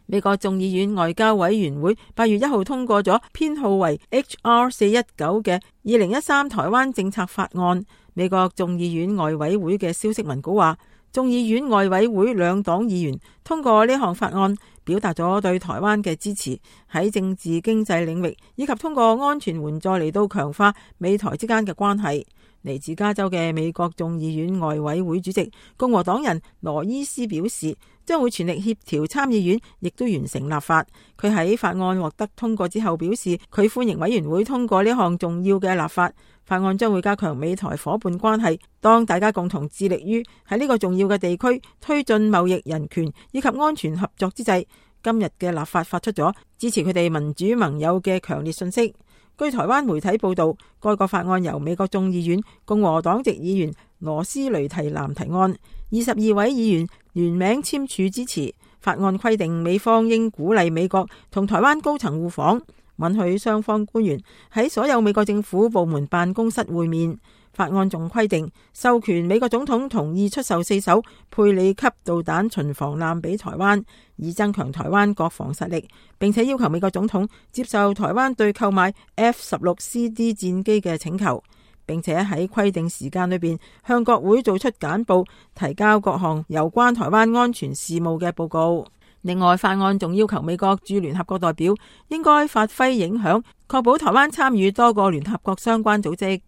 美國眾議院外交委員會8月1號通過咗編號為 HR 419嘅2013台灣政策法案。美國眾議院外委會嘅消息文稿話，眾議院外委會兩黨議員通過呢項法案，表達咗對台灣嘅支持，喺政治經濟領域以及通過安全援助嚟到強化美台之間嘅關係。嚟自加州嘅美國眾議院外委會主席共和黨人羅伊斯表示，將會全力協調參議院亦都完成立法。佢喺法案獲得通過之後表示，佢歡迎委員會通過呢項重要嘅立法。法案將會加強美台夥伴關係，當大家共同致力於喺呢個重要嘅地區推進貿易、人權以及安全合作之際，今日嘅立法發出咗支持佢哋民主盟友嘅強烈訊息。據台灣媒體報道，該個法案由美國眾議院共和黨籍議員羅斯雷提南提案，22位議員聯名簽署支持。法案規定美方應鼓勵美國同台灣高層互訪，允許雙方官員喺所有美國政府部門辦公室會面。法案仲規定授權美國總統同意出售4艘佩里級導彈巡防艦俾台灣，以增強台灣國防實力，並且要求美國總統接受台灣對購買 F-16CD 戰機嘅請求，並且喺規定時間裏邊向國會做出簡報，提交各項有關台灣安全事務嘅報告。另外，法案仲要求美國駐聯合國代表應該發揮影響，確保台灣參與多個聯合國相關組織。